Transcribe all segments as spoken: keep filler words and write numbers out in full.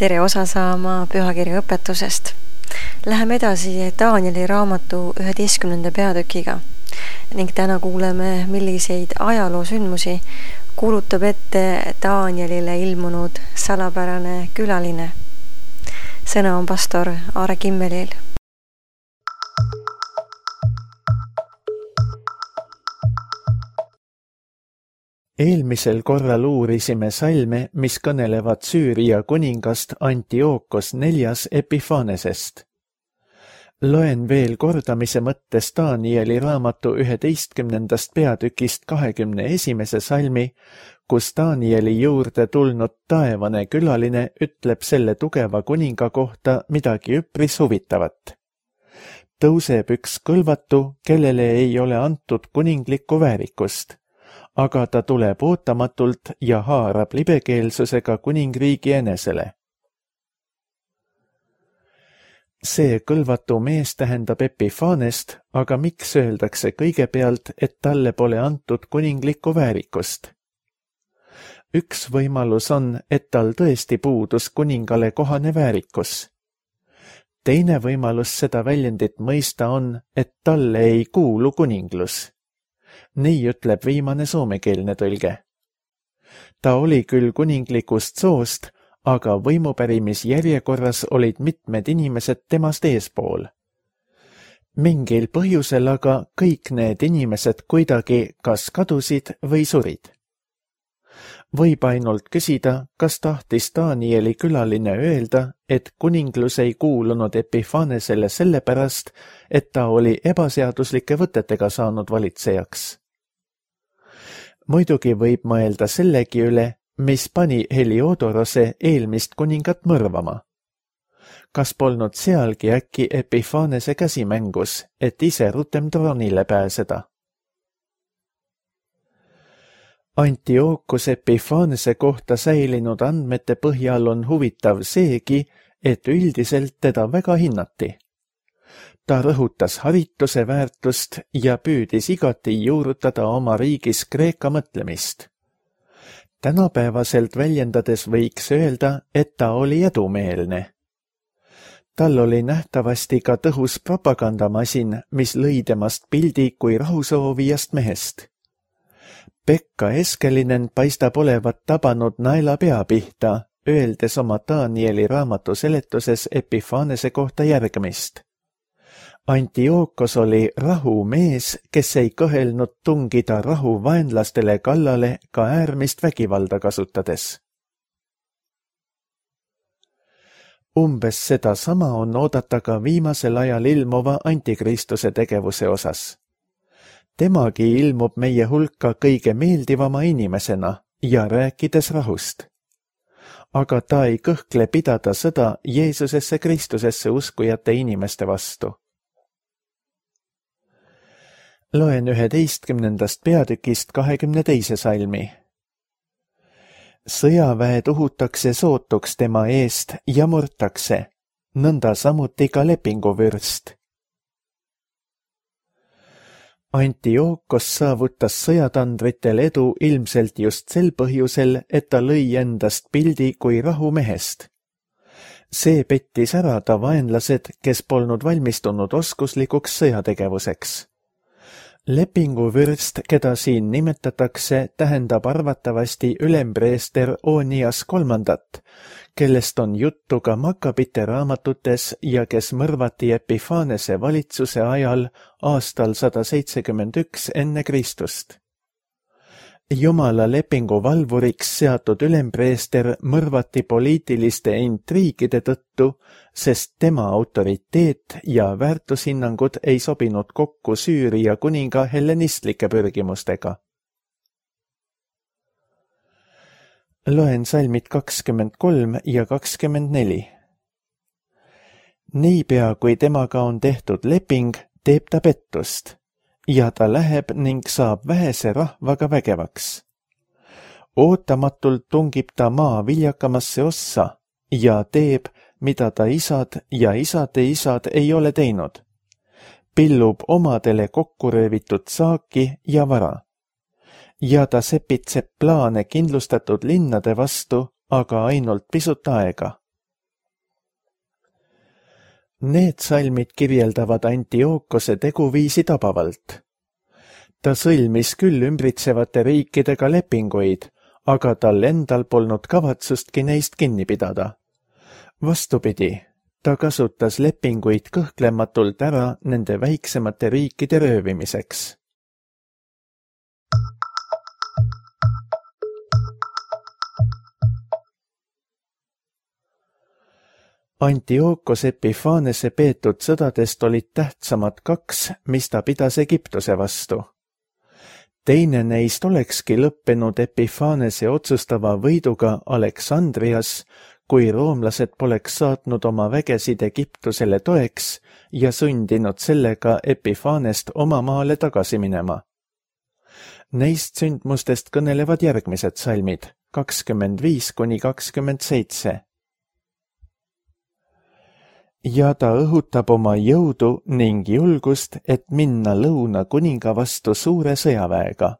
tere osa saama pühakirja õpetusest. Läheme edasi Danieli raamatu üheteistkümnenda peatükiga ning täna kuuleme, milliseid ajaloosündmusi kuulutab ette Danielile ilmunud salapärane külaline. Sõna on pastor Aare Kimmelil. Eelmisel korral uurisime salme, mis kõnelevad Süüria kuningast Antiookos neljas Epifanesest. Loen veel kordamise mõttes Danieli raamatu üheteistkümnendast peatükist kahekümne esimese salmi, kus Danieli juurde tulnud taevane külaline ütleb selle tugeva kuninga kohta midagi üpris huvitavat. Tõuseb üks kõlvatu, kellele ei ole antud kuninglikku väärikust, aga ta tuleb ootamatult ja haarab libekeelsusega kuningriigi enesele. See kõlvatu mees tähendab Epifanest, aga miks öeldakse kõigepealt, et talle pole antud kuninglikku väärikust? Üks võimalus on, et tal tõesti puudus kuningale kohane väärikus. Teine võimalus seda väljendit mõista on, et talle ei kuulu kuninglus. Nii ütleb viimane soomekeelne tõlge. Ta oli küll kuninglikust soost, aga võimupärimisjärjekorras olid mitmed inimesed temast eespool. Mingil põhjusel aga kõik need inimesed kuidagi kas kadusid või surid. Võib ainult küsida, kas tahtis Danieli külaline öelda, et kuninglus ei kuulunud Epifanesele sellepärast, et ta oli ebaseaduslike võtetega saanud valitsejaks. Muidugi võib mõelda sellegi üle, mis pani Heliodorose eelmist kuningat mõrvama. Kas polnud sealgi äkki Epifanese käsimängus, et ise rutem troonile pääseda? Antiookos Epifanese kohta säilinud andmete põhjal on huvitav seegi, et üldiselt teda väga hinnati. Ta rõhutas harituse väärtust ja püüdis igati juurutada oma riigis Kreeka mõtlemist. Tänapäevaselt väljendades võiks öelda, et ta oli edumeelne. Tal oli nähtavasti ka tõhus propagandamasin, mis lõi temast pildi kui rahusoovijast mehest. Pekka Eskelinen paistab olevat tabanud naela pea pihta, öeldes oma Danieli raamatu seletuses Epifanese kohta järgmist. Antiookos oli rahumees, kes ei kõhelnud tungida rahu vaenlastele kallale ka äärmist vägivalda kasutades. Umbes seda sama on oodata ka viimasel ajal ilmuva antikristuse tegevuse osas. Temagi ilmub meie hulka kõige meeldivama inimesena ja rääkides rahust. Aga ta ei kõhkle pidada sõda Jeesusesse Kristusesse uskujate inimeste vastu. Loen üheteistkümnendast peatükist kahekümne teise salmi. Sõjaväed uhutakse sootuks tema eest ja murtakse, nõnda samuti ka lepinguvürst. Antiookos saavutas sõjatandritel edu ilmselt just sel põhjusel, et ta lõi endast pildi kui rahumehest. See pettis ära ta vaenlased, kes polnud valmistunud oskuslikuks sõjategevuseks. Lepinguvürst, keda siin nimetatakse, tähendab arvatavasti ülempreester Onias kolmandat, kellest on juttu ka Makkabite raamatutes ja kes mõrvati Epifanese valitsuse ajal aastal sada seitsekümmend üks enne Kristust. Jumala lepingu valvuriks seatud ülempreester mõrvati poliitiliste intriigide tõttu, sest tema autoriteet ja väärtushinnangud ei sobinud kokku Süüria kuninga hellenistlike pürgimustega. Loen salmid kakskümmend kolm ja kakskümmend neli. Niipea kui temaga on tehtud leping, teeb ta pettust. Ja ta läheb ning saab vähese rahvaga vägevaks. Ootamatult tungib ta maa viljakamasse ossa ja teeb, mida ta isad ja isade isad ei ole teinud. Pillub omadele kokku röövitud saaki ja vara. Ja ta sepitseb plaane kindlustatud linnade vastu, aga ainult pisut aega. Need salmid kirjeldavad Antiookose teguviisi tabavalt. Ta sõlmis küll ümbritsevate riikidega lepinguid, aga tal endal polnud kavatsustki neist kinni pidada. Vastupidi, ta kasutas lepinguid kõhklematult ära nende väiksemate riikide röövimiseks. Antiookos Epiphanese peetud sõdadest olid tähtsamad kaks, mis ta pidas Egiptuse vastu. Teine neist olekski lõppenud Epiphanese otsustava võiduga Aleksandrias, kui roomlased poleks saatnud oma vägesid Egiptusele toeks ja sundinud sellega Epiphanest oma maale tagasi minema. Neist sündmustest kõnelevad järgmised salmid, kakskümmend viis kuni kakskümmend seitse. Ja ta õhutab oma jõudu ning julgust, et minna lõuna kuninga vastu suure sõjaväega.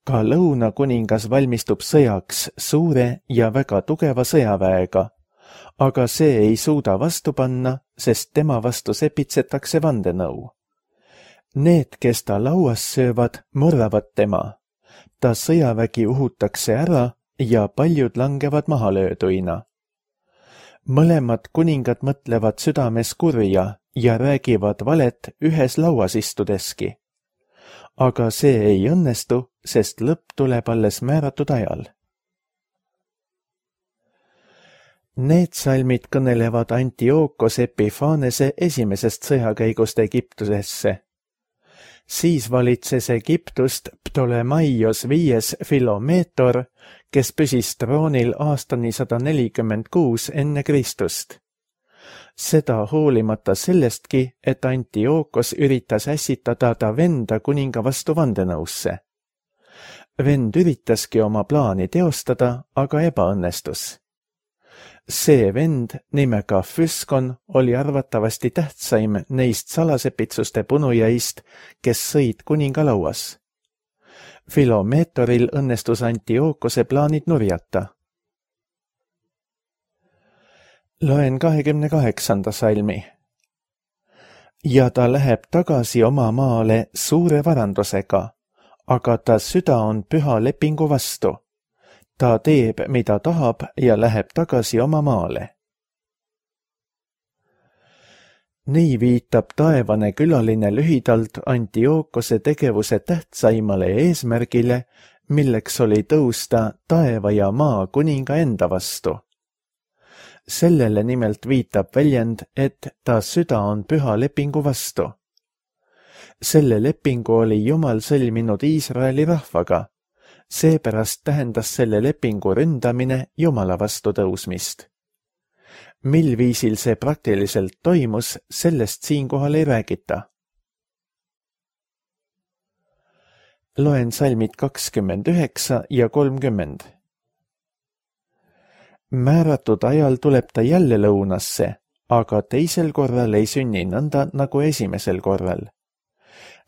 Ka lõuna kuningas valmistub sõjaks suure ja väga tugeva sõjaväega, aga see ei suuda vastu panna, sest tema vastu sepitsetakse vandenõu. Need, kes ta lauas söövad, morravad tema. Ta sõjavägi uhutakse ära ja paljud langevad mahalööduina. Mõlemad kuningad mõtlevad südames kurja ja räägivad valet ühes lauas istudeski. Aga see ei õnnestu, sest lõpp tuleb alles määratud ajal. Need salmid kõnelevad Antiookos Epiphanese esimesest sõjakäigust Egiptusesse. Siis valitses Egiptust Ptolemaios viies Filomeetor, kes püsis troonil aastani sada nelikümmend kuus enne Kristust. Seda hoolimata sellestki, et Antiookos üritas ässitada ta venda kuninga vastu vandenõusse. Vend üritaski oma plaani teostada, aga ebaõnnestus. See vend nimega Füskon oli arvatavasti tähtsaim neist salasepitsuste punujaist, kes sõid kuninga lauas. Filomeetoril õnnestus Antiookose plaanid nurjata. Loen kahekümne kaheksanda salmi. Ja ta läheb tagasi oma maale suure varandusega, aga ta süda on püha lepingu vastu. Ta teeb, mida tahab ja läheb tagasi oma maale. Nii viitab taevane külaline lühidalt Antiookose tegevuse tähtsaimale eesmärgile, milleks oli tõusta taeva ja maa kuninga enda vastu. Sellele nimelt viitab väljend, et ta süda on püha lepingu vastu. Selle lepingu oli Jumal sõlminud Iisraeli rahvaga. Seepärast tähendas selle lepingu ründamine Jumala vastu tõusmist. Mil viisil see praktiliselt toimus, sellest siinkohal ei räägita. Loen salmid kakskümmend üheksa ja kolmkümmend. Määratud ajal tuleb ta jälle lõunasse, aga teisel korral ei sünni nõnda nagu esimesel korral.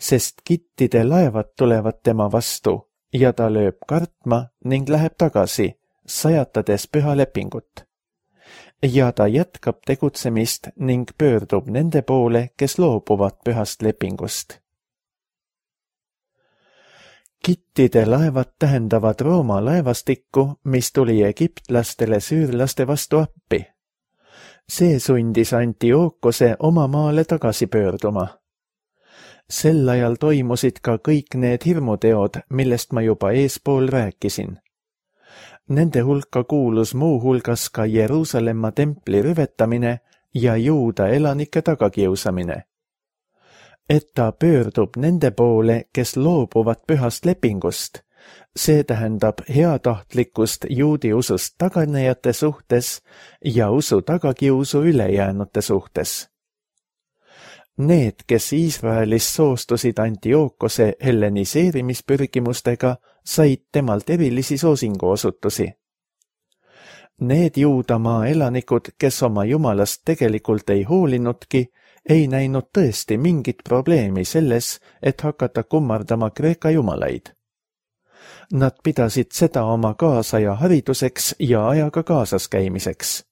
Sest kittide laevad tulevad tema vastu, ja ta lööb kartma ning läheb tagasi, sajatades püha lepingut. Ja ta jätkab tegutsemist ning pöördub nende poole, kes loobuvad pühast lepingust. Kittide laevad tähendavad Rooma laevastikku, mis tuli egiptlastele süürlaste vastu appi. See sundis Antiookose oma maale tagasi pöörduma. Sel ajal toimusid ka kõik need hirmuteod, millest ma juba eespool rääkisin. Nende hulka kuulus muu hulgas ka Jeruusalemma templi rüvetamine ja Juuda elanike tagakiusamine. Et ta pöördub nende poole, kes loobuvad pühast lepingust, see tähendab heatahtlikkust juudi usust taganejate suhtes ja usu tagakiusu ülejäänute suhtes. Need, kes Iisraelis soostusid Antiookose helleniseerimispürgimustega, said temalt erilisi soosinguosutusi. Need Juudamaa elanikud, kes oma jumalast tegelikult ei hoolinudki, ei näinud tõesti mingit probleemi selles, et hakata kummardama Kreeka jumalaid. Nad pidasid seda oma kaasaja hariduseks ja ajaga kaasas käimiseks.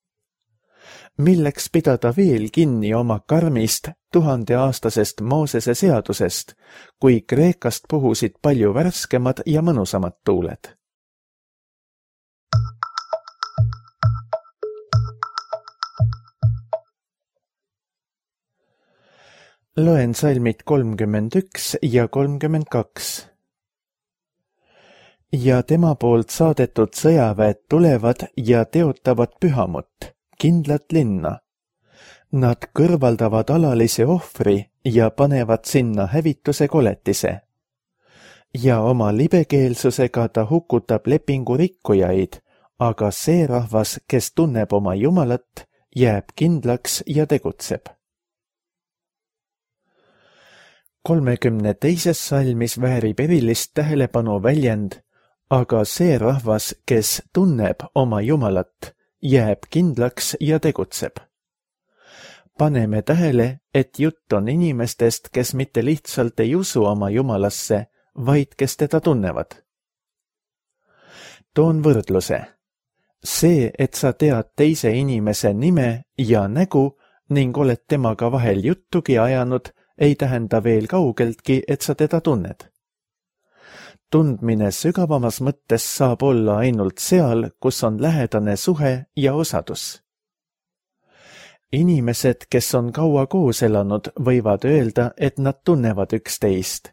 Milleks pidada veel kinni oma karmist tuhandeaastasest Moosese seadusest, kui Kreekast puhusid palju värskemad ja mõnusamad tuuled? Loen salmid kolmkümmend üks ja kolmkümmend kaks. Ja tema poolt saadetud sõjaväed tulevad ja teotavad pühamut, kindlat linna. Nad kõrvaldavad alalise ohvri ja panevad sinna hävituse koletise. Ja oma libekeelsusega ta hukutab lepingu rikkujaid, aga see rahvas, kes tunneb oma Jumalat, jääb kindlaks ja tegutseb. kolmekümne teises salmis väärib erilist tähelepanu väljend, aga see rahvas, kes tunneb oma Jumalat, jääb kindlaks ja tegutseb. Paneme tähele, et jutt on inimestest, kes mitte lihtsalt ei usu oma Jumalasse, vaid kes teda tunnevad. Toon võrdluse. See, et sa tead teise inimese nime ja nägu ning oled temaga vahel juttugi ajanud, ei tähenda veel kaugeltki, et sa teda tunned. Tundmine sügavamas mõttes saab olla ainult seal, kus on lähedane suhe ja osadus. Inimesed, kes on kaua koos elanud, võivad öelda, et nad tunnevad üksteist,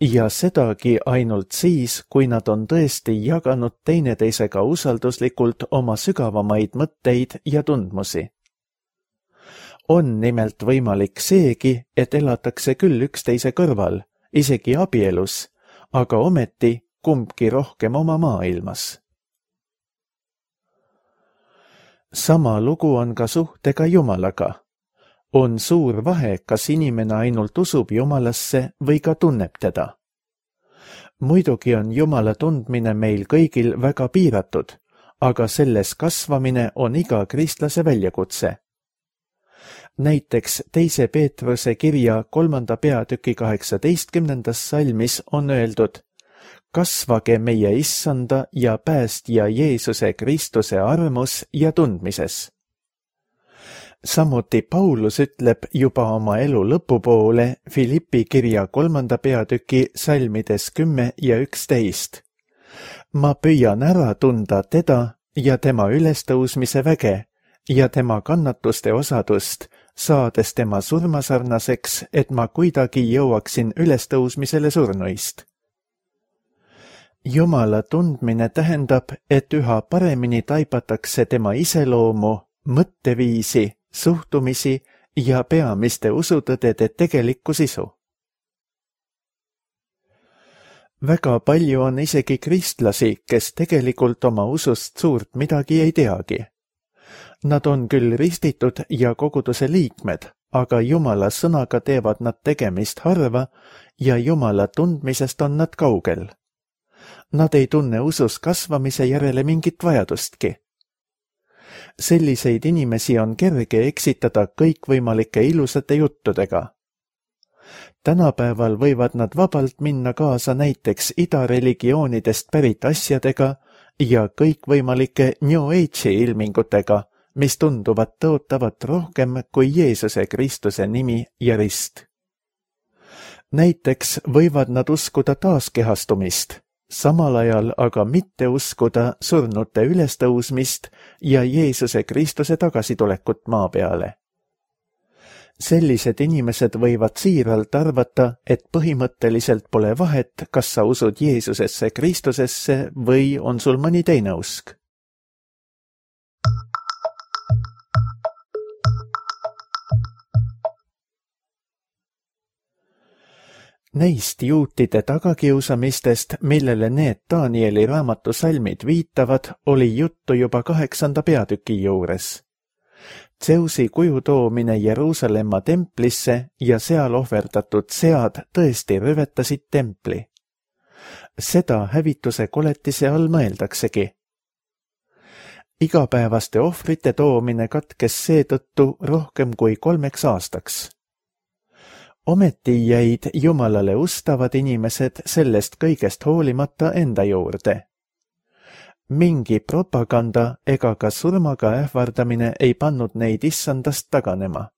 ja sedagi ainult siis, kui nad on tõesti jaganud teineteisega usalduslikult oma sügavamaid mõtteid ja tundmusi. On nimelt võimalik seegi, et elatakse küll üksteise kõrval, isegi abielus, aga ometi kumbki rohkem oma maailmas. Sama lugu on ka suhtega Jumalaga. On suur vahe, kas inimene ainult usub Jumalasse või ka tunneb teda. Muidugi on Jumala tundmine meil kõigil väga piiratud, aga selles kasvamine on iga kristlase väljakutse. Näiteks teise Peetruse kirja kolmanda peatüki kaheksateistkümnendas salmis on öeldud: kasvage meie issanda ja päästja Jeesuse Kristuse armus ja tundmises. Samuti Paulus ütleb juba oma elu lõpupoole Filippi kirja kolmanda peatüki salmides kümme ja üksteist. Ma püüan ära tunda teda ja tema ülestõusmise väge ja tema kannatuste osadust, saades tema surmasarnaseks, et ma kuidagi jõuaksin ülestõusmisele surnuist. Jumala tundmine tähendab, et üha paremini taipatakse tema iseloomu, mõtteviisi, suhtumisi ja peamiste usutõdede tegelikku sisu. Väga palju on isegi kristlasi, kes tegelikult oma usust suurt midagi ei teagi. Nad on küll ristitud ja koguduse liikmed, aga Jumala sõnaga teevad nad tegemist harva ja Jumala tundmisest on nad kaugel. Nad ei tunne usus kasvamise järele mingit vajadustki. Selliseid inimesi on kerge eksitada kõikvõimalike ilusate juttudega. Tänapäeval võivad nad vabalt minna kaasa näiteks idareligioonidest pärit asjadega ja kõikvõimalike New Age'i ilmingutega, mis tunduvad tõotavat rohkem kui Jeesuse Kristuse nimi ja rist. Näiteks võivad nad uskuda taaskehastumist, samal ajal aga mitte uskuda surnute ülestõusmist ja Jeesuse Kristuse tagasitulekut maa peale. Sellised inimesed võivad siiralt arvata, et põhimõtteliselt pole vahet, kas sa usud Jeesusesse Kristusesse või on sul mõni teine usk. Neist juutide tagakiusamistest, millele need Danieli raamatu salmid viitavad, oli juttu juba kaheksanda peatüki juures. Zeusi kuju toomine Jeruusalemma templisse ja seal ohverdatud sead tõesti rüvetasid templi. Seda hävituse koletise all mõeldaksegi. Igapäevaste ohvrite toomine katkes seetõttu rohkem kui kolmeks aastaks. Ometi jäid Jumalale ustavad inimesed sellest kõigest hoolimata enda juurde. mingi propaganda ega ka surmaga ähvardamine ei pannud neid issandast taganema.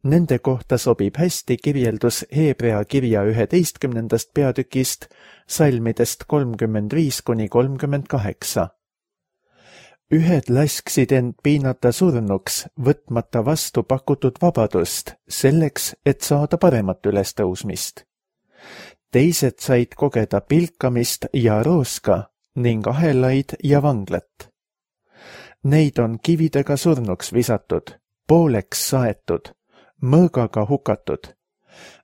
Nende kohta sobib hästi kirjeldus Heebrea kirja üheteistkümnendast peatükist, salmidest kolmkümmend viis kuni kolmkümmend kaheksa. Ühed lasksid end piinata surnuks, võtmata vastu pakutud vabadust, selleks, et saada paremat ülestõusmist. Teised said kogeda pilkamist ja rooska ning ahelaid ja vanglat. Neid on kividega surnuks visatud, pooleks saetud, mõõgaga hukatud.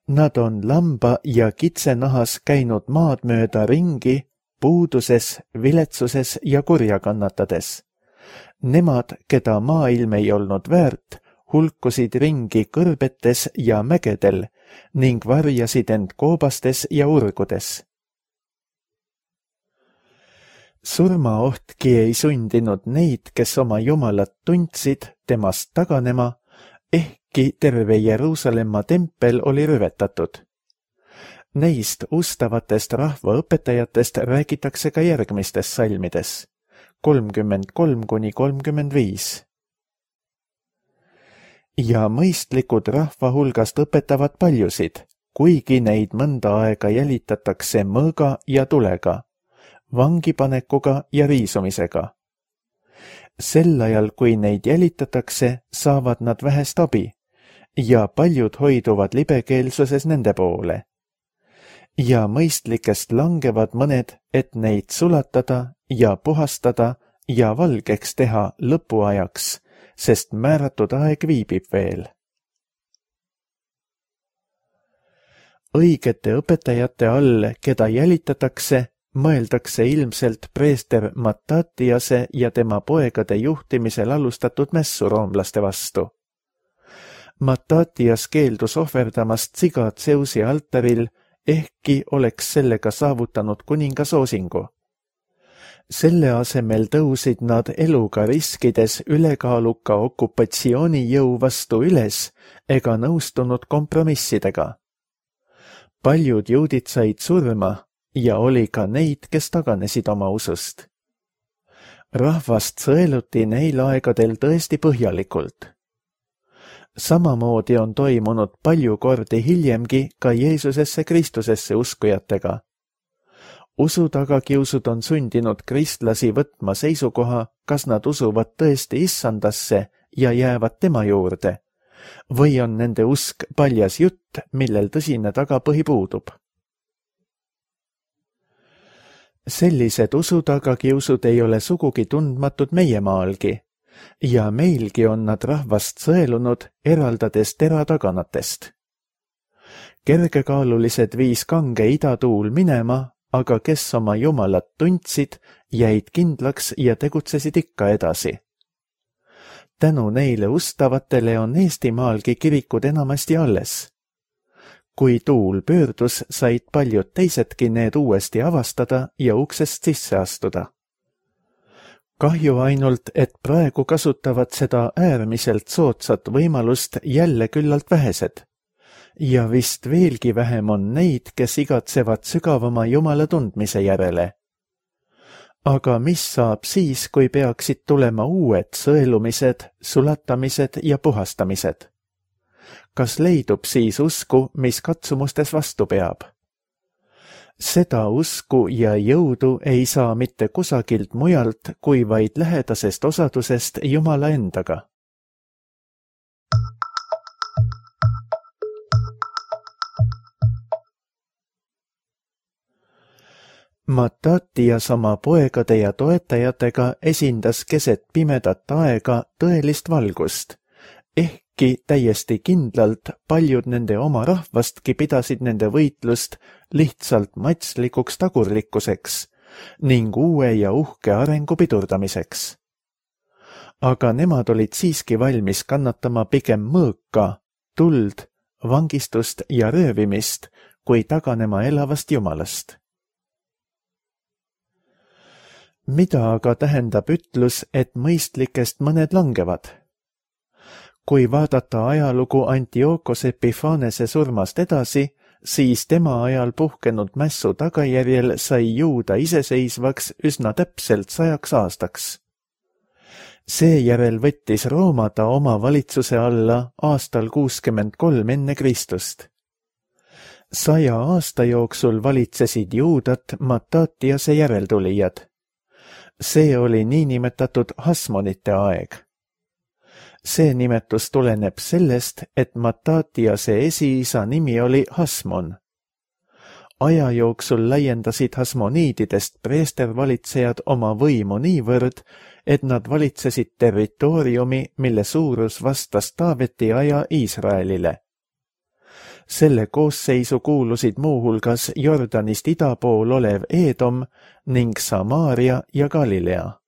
Nad on lamba ja kitsenahas käinud maad mööda ringi, puuduses, viletsuses ja kurja kannatades. Nemad, keda maailm ei olnud väärt, hulkusid ringi kõrbetes ja mägedel ning varjasid end koobastes ja urgudes. Surmaohtki ei sundinud neid, kes oma Jumalat tundsid, temast taganema, ehkki terve Jeruusalemma tempel oli rüvetatud. Neist ustavatest rahvaõpetajatest räägitakse ka järgmistes salmides, kolmkümmend kolm kuni kolmkümmend viis. Ja mõistlikud rahva hulgast õpetavad paljusid, kuigi neid mõnda aega jälitatakse mõõga ja tulega, vangipanekuga ja riisumisega. Sel ajal, kui neid jälitatakse, saavad nad vähest abi ja paljud hoiduvad libekeelsuses nende poole. Ja mõistlikest langevad mõned, et neid sulatada ja puhastada ja valgeks teha lõpuajaks, sest määratud aeg viibib veel. Õigete õpetajate all, keda jälitatakse, mõeldakse ilmselt preester Mattatiase ja tema poegade juhtimisel alustatud mässu roomlaste vastu. Mattatias keeldus ohverdamast siga Zeusi altaril, ehkki oleks sellega saavutanud kuninga soosingu. Selle asemel tõusid nad eluga riskides ülekaaluka okupatsioonijõu vastu üles ega nõustunud kompromissidega. Paljud juudid said surma ja oli ka neid, kes taganesid oma usust. Rahvast sõeluti neil aegadel tõesti põhjalikult. Samamoodi on toimunud palju kordi hiljemgi ka Jeesusesse Kristusesse uskujatega. Usu tagakiusud on sundinud kristlasi võtma seisukoha, kas nad usuvad tõesti issandasse ja jäävad tema juurde, või on nende usk paljas jutt, millel tõsine tagapõhi puudub. Sellised usu tagakiusud ei ole sugugi tundmatud meie maalgi ja meilgi on nad rahvast sõelunud, eraldades tera taganatest. Kergekaalulised viis kange idatuul minema, aga kes oma Jumalat tundsid, jäid kindlaks ja tegutsesid ikka edasi. Tänu neile ustavatele on Eestimaalgi kirikud enamasti alles. Kui tuul pöördus, said paljud teisedki need uuesti avastada ja uksest sisse astuda. Kahju ainult, et praegu kasutavad seda äärmiselt soodsat võimalust jälle küllalt vähesed. Ja vist veelgi vähem on neid, kes igatsevad sügavama Jumala tundmise järele. Aga mis saab siis, kui peaksid tulema uued sõelumised, sulatamised ja puhastamised? Kas leidub siis usku, mis katsumustes vastu peab? Seda usku ja jõudu ei saa mitte kusagilt mujalt, kui vaid lähedasest osadusest Jumala endaga. Mattatias oma poegade ja toetajatega esindas keset pimedat aega tõelist valgust, ehkki täiesti kindlalt paljud nende oma rahvastki pidasid nende võitlust lihtsalt matslikuks tagurlikkuseks ning uue ja uhke arengu pidurdamiseks. Aga nemad olid siiski valmis kannatama pigem mõõka, tuld, vangistust ja röövimist, kui taganema elavast Jumalast. Mida aga tähendab ütlus, et mõistlikest mõned langevad? Kui vaadata ajalugu Antiochos Epiphanese surmast edasi, siis tema ajal puhkenud mässu tagajärjel sai Juuda iseseisvaks üsna täpselt sajaks aastaks. Seejärel võttis Rooma ta oma valitsuse alla aastal kuuskümmend kolm enne Kristust. Saja aasta jooksul valitsesid Juudat Matatiase järeltulijad. See oli niinimetatud Hasmonite aeg. See nimetus tuleneb sellest, et Matatiase esiisa nimi oli Hasmon. Aja jooksul laiendasid hasmoniididest preestervalitsejad oma võimu niivõrd, et nad valitsesid territooriumi, mille suurus vastas Taaveti aja Iisraelile. Selle koosseisu kuulusid muuhulgas Jordanist ida pool olev Eedom ning Samaaria ja Galilea.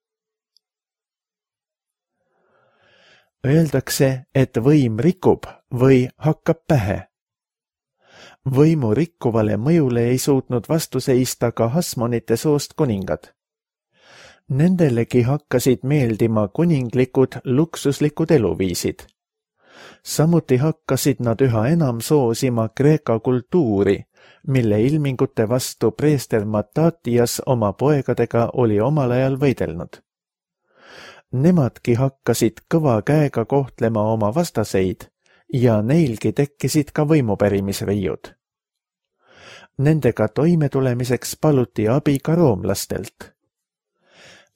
Öeldakse, et võim rikub või hakkab pähe. Võimu rikkuvale mõjule ei suutnud vastu seista ka Hasmonite soost kuningad. Nendelegi hakkasid meeldima kuninglikud luksuslikud eluviisid. Samuti hakkasid nad üha enam soosima Kreeka kultuuri, mille ilmingute vastu preester Matatias oma poegadega oli omal ajal võidelnud. Nemadki hakkasid kõva käega kohtlema oma vastaseid ja neilgi tekkisid ka võimupärimisriiud. Nendega toimetulemiseks paluti abi ka roomlastelt.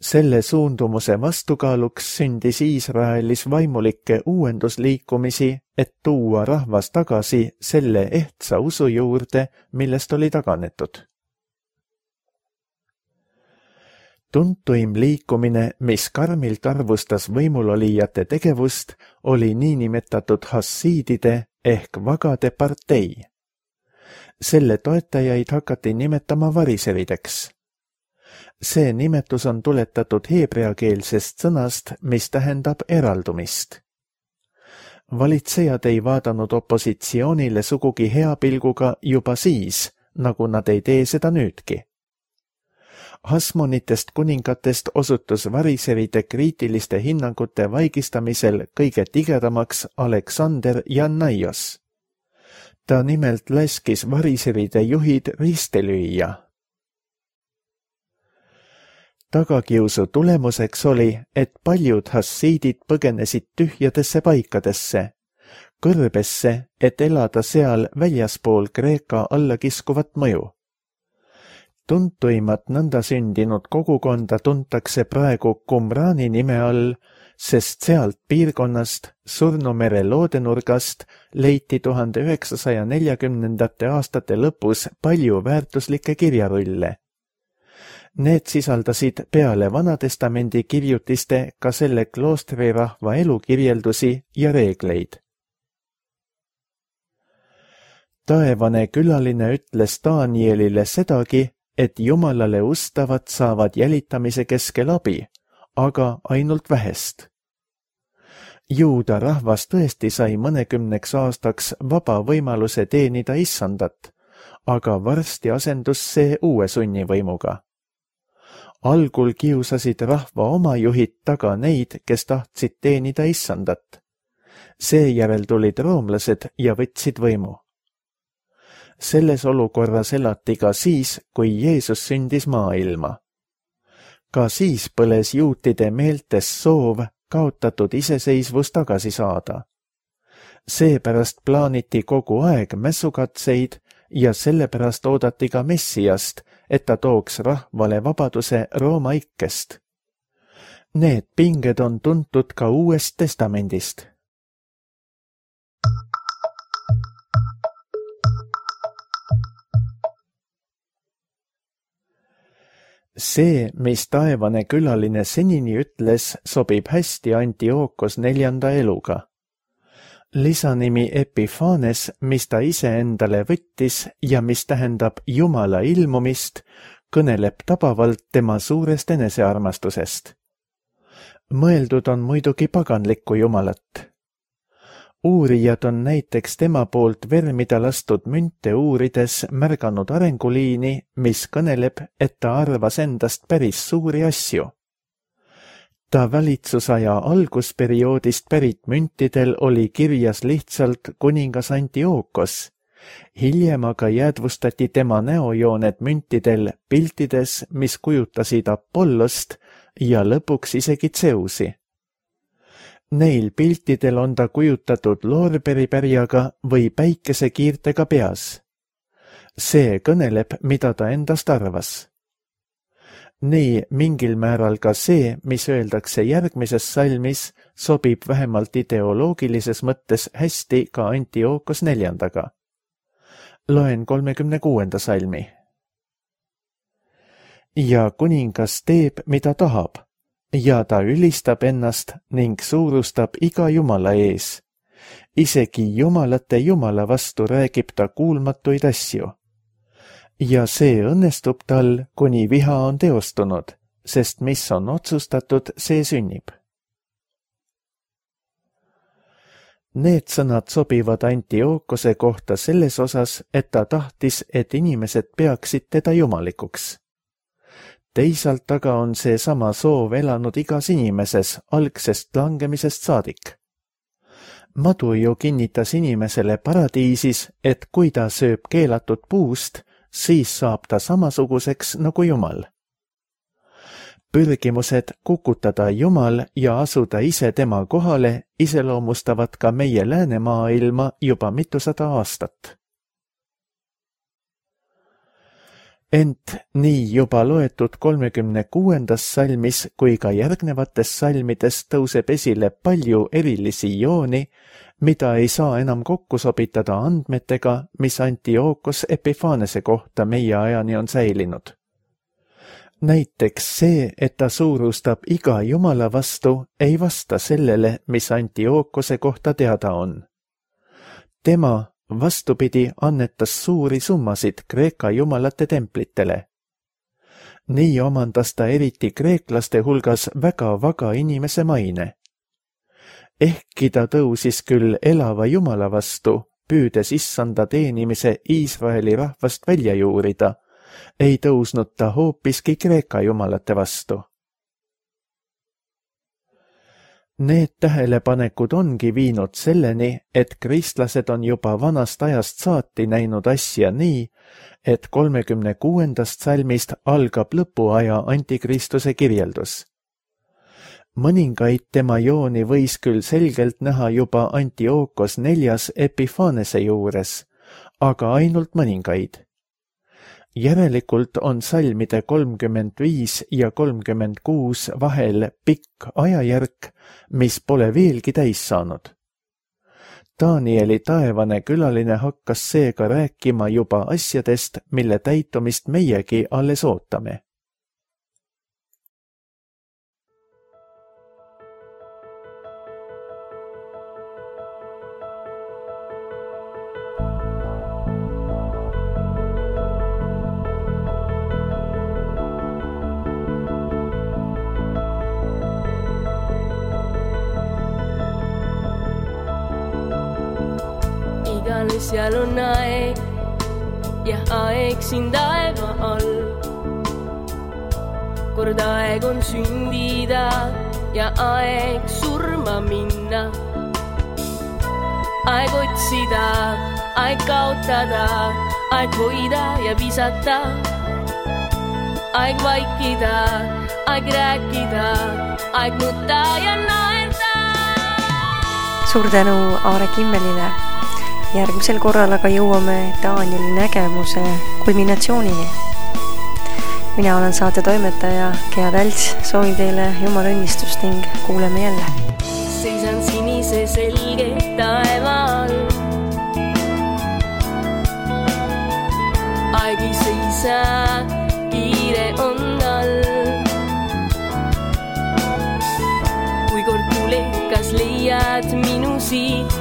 Selle suundumuse vastukaaluks sündis Iisraelis vaimulikke uuendusliikumisi, et tuua rahvas tagasi selle ehtsa usu juurde, millest oli taganetud. Tuntuim liikumine, mis karmilt arvustas võimulolijate tegevust, oli niinimetatud hassiidide ehk vagade partei. Selle toetajaid hakati nimetama variserideks. See nimetus on tuletatud heebreakeelsest sõnast, mis tähendab eraldumist. Valitsejad ei vaadanud opositsioonile sugugi hea pilguga juba siis, nagu nad ei tee seda nüüdki. Hasmonitest kuningatest osutus variseride kriitiliste hinnangute vaigistamisel kõige tigedamaks Aleksander Jannaios. Ta nimelt laskis variseride juhid risti lüüa. Tagakiusu tulemuseks oli, et paljud hassiidid põgenesid tühjadesse paikadesse, kõrbesse, et elada seal väljaspool Kreeka allakiskuvat mõju. Tuntuimat nõnda sündinud kogukonda tuntakse praegu Qumrani nime all, sest sealt piirkonnast, Surnumere loodenurgast, leiti tuhande üheksasaja neljakümnendate aastate lõpus palju väärtuslikke kirjarulle. Need sisaldasid peale Vanatestamendi kirjutiste ka selle kloostrirahva elukirjeldusi ja reegleid. Taevane külaline ütles Danielile sedagi, et Jumalale ustavad saavad jälitamise keskel abi, aga ainult vähest. Juuda rahvas tõesti sai mõnekümneks aastaks vaba võimaluse teenida issandat, aga varsti asendus see uue sunnivõimuga. Algul kiusasid rahva oma juhid taga neid, kes tahtsid teenida issandat. Seejärel tulid roomlased ja võtsid võimu. Selles olukorras elati ka siis, kui Jeesus sündis maailma. Ka siis põles juutide meeltes soov kaotatud iseseisvus tagasi saada. Seepärast plaaniti kogu aeg mässukatseid ja sellepärast oodati ka Messiast, et ta tooks rahvale vabaduse Rooma ikkest. Need pinged on tuntud ka Uuest Testamendist. See, mis taevane külaline senini ütles, sobib hästi Antiookos neljanda eluga. Lisanimi Epiphanes, mis ta ise endale võttis ja mis tähendab Jumala ilmumist, kõneleb tabavalt tema suurest enesearmastusest. Mõeldud on muidugi paganlikku Jumalat. Uurijad on näiteks tema poolt vermida lastud münte uurides märganud arenguliini, mis kõneleb, et ta arvas endast päris suuri asju. Ta valitsusaja algusperioodist pärit müntidel oli kirjas lihtsalt kuningas Antiookos Hiljem aga jäädvustati tema näojooned müntidel piltides, mis kujutasid Apollost ja lõpuks isegi Zeusi. Neil piltidel on ta kujutatud loorberipärjaga või päikesekiirtega peas. See kõneleb, mida ta endast arvas. Nii mingil määral ka see, mis öeldakse järgmises salmis, sobib vähemalt ideoloogilises mõttes hästi ka Antiookos neljandaga. Loen kolmekümne kuuenda salmi. Ja kuningas teeb, mida tahab, ja ta ülistab ennast ning suurustab iga jumala ees. Isegi jumalate jumala vastu räägib ta kuulmatuid asju. Ja see õnnestub tal, kuni viha on teostunud, sest mis on otsustatud, see sünnib. Need sõnad sobivad Antiookose kohta selles osas, et ta tahtis, et inimesed peaksid teda jumalikuks. Teisalt aga on see sama soov elanud igas inimeses algsest langemisest saadik. Madu ju kinnitas inimesele paradiisis, et kui ta sööb keelatud puust, siis saab ta samasuguseks nagu Jumal. Pürgimused kukutada Jumal ja asuda ise tema kohale iseloomustavad ka meie läänemaailma juba mitusada aastat. Ent nii juba loetud kolmekümne kuuendas salmis kui ka järgnevates salmides tõuseb esile palju erilisi jooni, mida ei saa enam kokku sobitada andmetega, mis Antiookos Epifanese kohta meie ajani on säilinud. Näiteks see, et ta suurustab iga jumala vastu, ei vasta sellele, mis Antiookose kohta teada on. Tema vastupidi annetas suuri summasid Kreeka jumalate templitele. Nii omandas ta eriti kreeklaste hulgas väga vaga inimese maine. Ehkki ta tõusis küll elava jumala vastu, püüdes issanda teenimise Iisraeli rahvast välja juurida, ei tõusnud ta hoopiski Kreeka jumalate vastu. Need tähelepanekud ongi viinud selleni, et kristlased on juba vanast ajast saati näinud asja nii, et kolmekümne kuuendast salmist algab lõpuaja antikristuse kirjeldus. Mõningaid tema jooni võis küll selgelt näha juba Antiookos neljas Epifanese juures, aga ainult mõningaid. Järelikult on salmide kolmkümmend viis ja kolmkümmend kuus vahel pikk ajajärk, mis pole veelgi täis saanud. Danieli taevane külaline hakkas seega rääkima juba asjadest, mille täitumist meiegi alles ootame. Seal on aeg ja aeg siin taeva all. Kord aeg on sündida ja aeg surma minna. Aeg otsida, aeg kaotada, aeg hoida ja visata. Aeg vaikida, aeg rääkida, aeg nutta ja naerda. Suur tänu Aare Kimmelile. Järgmisel korral aga jõuame Danieli nägemuse kulminatsioonini. Mina olen saate toimetaja Gea Tälts, soovin teile jumala õnnistust ning kuuleme jälle. Seisan sinise selge taeva all. Aeg ei seisa, kiire on all. Kui kord tulekas leiad minu siit,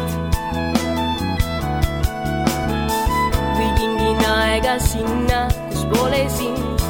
aega sinna, kus pole sind.